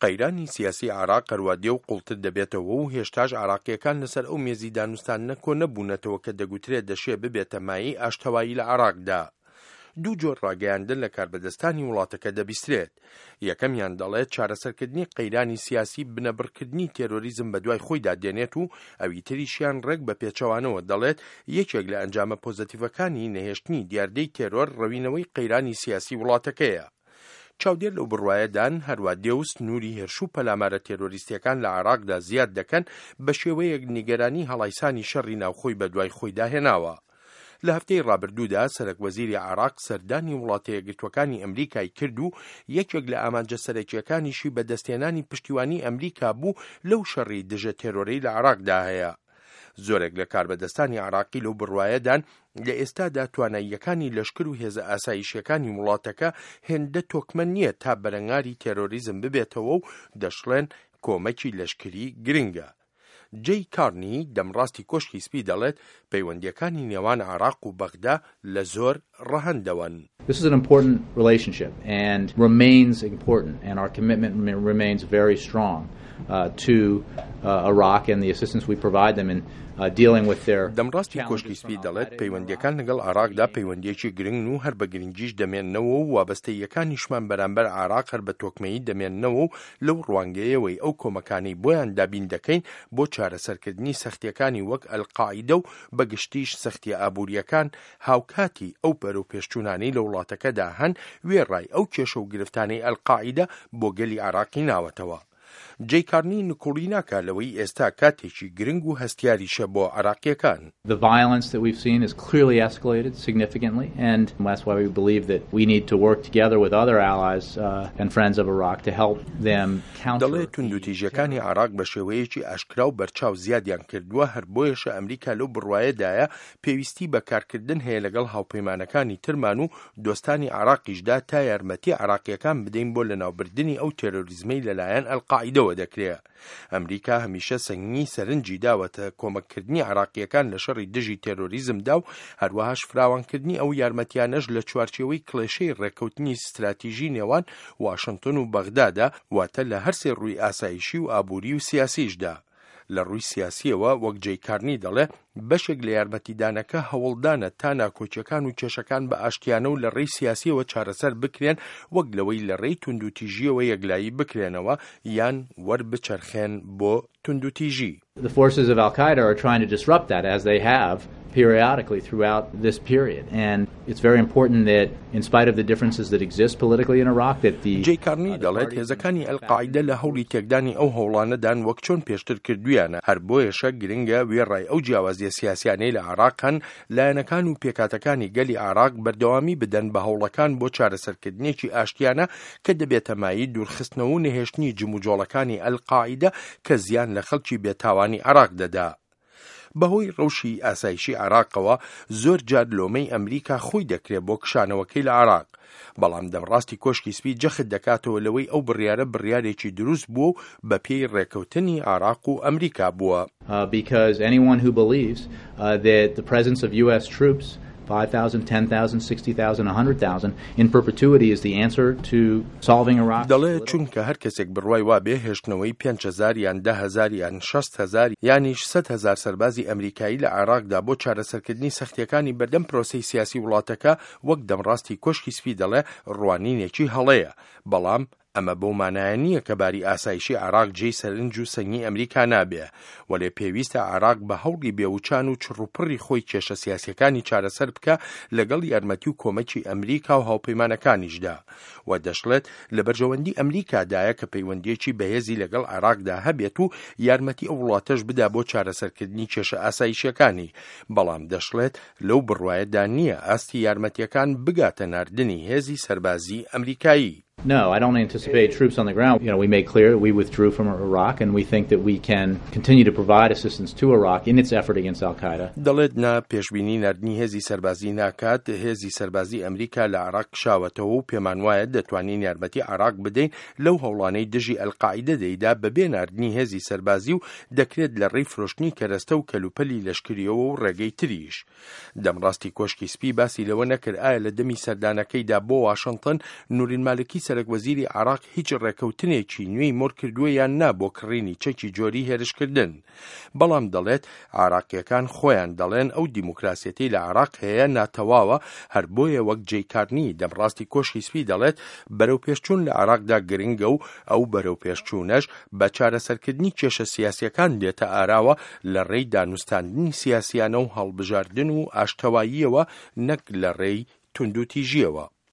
قەیرانی سیاسی عێراق هەروا دێ و قوڵتر دەبێتەوە و هێشتاش عێراقییەکان لەسەر ئەو مێزی دانوستاندنە کۆ نەبوونەتەوە کە دەگوترێ دەشێ ببێتە مایەی ئاشتەوایی لە عێراقدا. دوو جۆر ڕاگەیاندن لە کاربەدەستانی وڵاتەکە دەبیسترێت. یەکەمیان دەڵێت چارەسەرکردنی قەیرانی سیاسی بنەبڕکردنی تێرۆریزم بەدوای خۆیدا دێنێت و ئەوی تریشیان ڕێک بە پێچەوانەوە دەڵێت یەکێک لە ئەنجامە پۆزەتیڤەکانی نەهێشتنی دیاردەی تێرۆر ڕەوینەوەی قەیرانی سیاسی وڵاتەکەیە. چاودێر لەو بڕوایەدان هەروا دێ و سنووری هێرش و پەلامارە تێرۆریستییەکان لە عێراقدا زیاد دەکەن بە شێوەیەک نیگەرانی هەڵایسانی شەڕی ناوخۆی بەدوای خۆیدا هێناوە. لە هەفتەی ڕابردوودا سەرەک وەزیری عێراق سەردانی وڵاتە یەکگرتووەکانی ئەمریکای کرد و یەکێک لە ئامانجە سەرەکییەکانیشی بەدەستهێنانی پشتیوانی ئەمریکا بوو لەو شەڕی دژە تێرۆرەی لە عێراقدا هەیە. زۆرێک لە کاربەدەستانی عێراقی لەو بڕوایەدان لە ئێستادا تواناییەکانی لەشکر و هێزە ئاسایشیەکانی وڵاتەکە هێندە تۆکمە نییە تا بەرەنگاری تێرۆریزم ببێتەوە و دەشڵێن کۆمەکی لەشکری گرنگە. جەی کارنی دەمڕاستی کۆشکی سپی دەڵێت پەیوەندییەکانی نێوان عێراق و بەغدا لە زۆر ڕەهەندەوەن. This is an important relationship and remains important and our commitment remains very strong to Iraq and the assistance we provide them in dealing with their دەمڕاستی کۆشکی سپی دەڵێت پەیوەندییەکان لەگەڵ عێراقدا پەیوەندییەکی گرنگن و هەر بە گرنگیش دەمێننەوە و وابەستەییەکانیشمان بەرامبەر عێراق هەر بە تۆکمەیی دەمێننەوە و لەو ڕوانگەیەوەی ئەو کۆمەکانەی بۆیان دابین دەکەین بۆ چارەسەرکردنی سەختییەکانی وەک ئەلقاعیدە و بە گشتیش سەختییە ئابوورییەکان هاوکاتی ئەو بەرەوپێشچوونانەی لە وڵاتەکەدا هەن وێڕای ئەو کێشە و گرفتانەی ئەلقاعیدە بۆ گەلی عێراقی ناوەتەوە. جەی کارنی نکوڵی ناکا لەوەی ئێستا کاتێکی گرنگ و هەستیاریشە بۆ عێراقییەکان. The violence that we've seen has clearly escalated significantly and that's why we believe that we need to work together with other allies and friends of Iraq to help them counter. دەڵێ توندوتیژیەکانی عێراق بە شێوەیەکی ئاشکرا و بەرچاو زیادیان کردووە، هەر بۆیەشە ئەمریکا لەو بڕوایەدایە پێویستی بە کارکردن هەیە لەگەڵ هاوپەیمانەکانی ترمان و دۆستانی عێراقیشدا تا یارمەتی عێراقییەکان بدەین بۆ لەناوبردنی ئەو تێرۆریزمەی لەلایەن ئەلقاعیدەوە دەکرێ. ئەمریکا هەمیشە سەنگی سەرنجی داوەتە کۆمەککردنی عێراقییەکان لە شەڕی دژی تێرۆریزمدا و هەروەهاش فراوانکردنی ئەو یارمەتیانەش لە چوارچێوەی کڵێشەی ڕێککەوتنی ستراتیژی نێوان واشنتۆن و بەغدادا، واتە لە هەرسێ ڕووی ئاسایشی و ئابووری و سیاسیشدا. لە ڕووی سیاسییەوە وەک جەی کارنی دەڵێ، بەشێک لە یارمەتیدانەکە هەوڵدانە تا ناکۆکییەکان و کێشەکان بە ئاشتیانە و لە ڕێی سیاسییەوە چارەسەر بکرێن وەک لەوەی لە ڕێی توندوتیژییەوە یەکلایی بکرێنەوە یان وەربچەرخێن بۆ توندوتیژی. The forces of Al Qaeda are trying to disrupt that as they have periodically throughout this period and it's very important that in spite of the differences that exist politically in Iraq that the جەی کارنی دەڵێت هێزەکانی ئەلقاعیدە لە هەوڵی تێکدانی ئەو هەوڵانەدان وەک چۆن پێشتر کردوویانە، هەر بۆیەشە گرنگە وێڕای ئەو جیاوازیە سیاسیانەی لە عێراق هەن، لایەنەکان و پێکهاتەکانی گەلی عێراق بەردەوامی بدەن بە هەوڵەکان بۆ چارەسەرکردنێکی ئاشتیانە کە دەبێتە مایەی دوورخستنەوە و نەهێشتنی جموجۆڵەکانی ئەلقاعیدە کە زیان لە خەڵکی بێتاوانی عێراق دەدا. بەهۆی ڕەوشی ئاسایشی عێراقەوە زۆر جار لۆمەی ئەمریکا خۆی دەکرێت بۆ کشانەوەکەی لە عێراق، بەڵام دەمڕاستی کۆشکی سپی جەخت دەکاتەوە لەوەی ئەو بڕیارە بڕیارێکی دروست بووە و بەپێی ڕێکەوتنی عێراق و ئەمریکا بووە. Because anyone who believes that the presence of US troops 5,000, 10,000, 60,000, 100,000 in perpetuity is the answer to solving Iraq's دەڵێ چونکە هەر کەسێک بڕوای وابێ هێشتنەوەی 5,000 یان 10,000 یان 60,000 یانیش 100,000 سەربازی ئەمریکایی لە عێراقدا بۆ چارەسەرکردنی سەختییەکانی بەردەم پرۆسەی سیاسی وڵاتەکە وەک دەمڕاستی کۆشکی سپی دەڵێ ڕوانینێکی هەڵەیە بەڵام ئەمە بەو مانایە نییە کە باری ئاسایشی عێراق جێی سەرنج و سەنگی ئەمریکا نابێ، وەلێ پێویستە عێراق بە هەوڵی بێوچان و چڕوپڕی خۆی کێشە سیاسییەکانی چارەسەر بکا لەگەڵ یارمەتی و کۆمەکی ئەمریکا و هاوپەیمانەکانیشدا و دەشڵێت لە بەرژەوەندی ئەمریکادایە کە پەیوەندییەکی بەهێزی لەگەڵ عێراقدا هەبێت و یارمەتی ئەو وڵاتەش بدا بۆ چارەسەرکردنی کێشە ئاسایشییەکانی، بەڵام دەشڵێت لەو بڕوایەدا نییە ئاستی یارمەتییەکان بگاتە ناردنی هێزی سەربازیی ئەمریکایی. No, I don't anticipate troops on the ground. You know, we made clear we withdrew from Iraq and we think that we can continue to provide assistance to Iraq in its effort against Al Qaeda. دەڵێت نا، پێشبینی ناردنی هێزی سەربازی ناکات، هێزی سەربازی ئەمریکا لە عێراق کشاوەتەوە و پێمانوایە دەتوانین یارمەتی عێراق بدەین لەو هەوڵانەی دژی ئەلقاعیدە دەیدا بەبێ ناردنی هێزی سەربازی و دەکرێت لە ڕێی فرۆشتنی کەرەستە و کەلوپەلی لەشکرییەوە و ڕێگەی تریش. دەمڕاستی کۆشکی سپی باسی لەوە نەکرد ئایا لە دەمی سەردانەکەیدا بۆ واشنتن نورین مالکی سەرەک وەزیری عێراق هیچ ڕێکەوتنێکی نوێی مۆر کردووە یان نا بۆ کڕینی چەکی جۆری هێرشکردن. بەڵام دەڵێت عێراقییەکان خۆیان دەڵێن ئەو دیموکراسیەتەی لە عێراق هەیە ناتەواوە، هەر بۆیە وەک جەی کارنی دەمڕاستی کۆشکی سپی دەڵێت بەرەوپێشچوون لە عێراقدا گرنگە و ئەو بەرەوپێشچوونەش بە چارەسەرکردنی کێشە سیاسییەکان دێتە ئاراوە لە ڕێی دانوستاندنی سیاسیانە و هەڵبژاردن و ئاشتەواییەوە نەک لە ڕێی توندوتیژییەوە.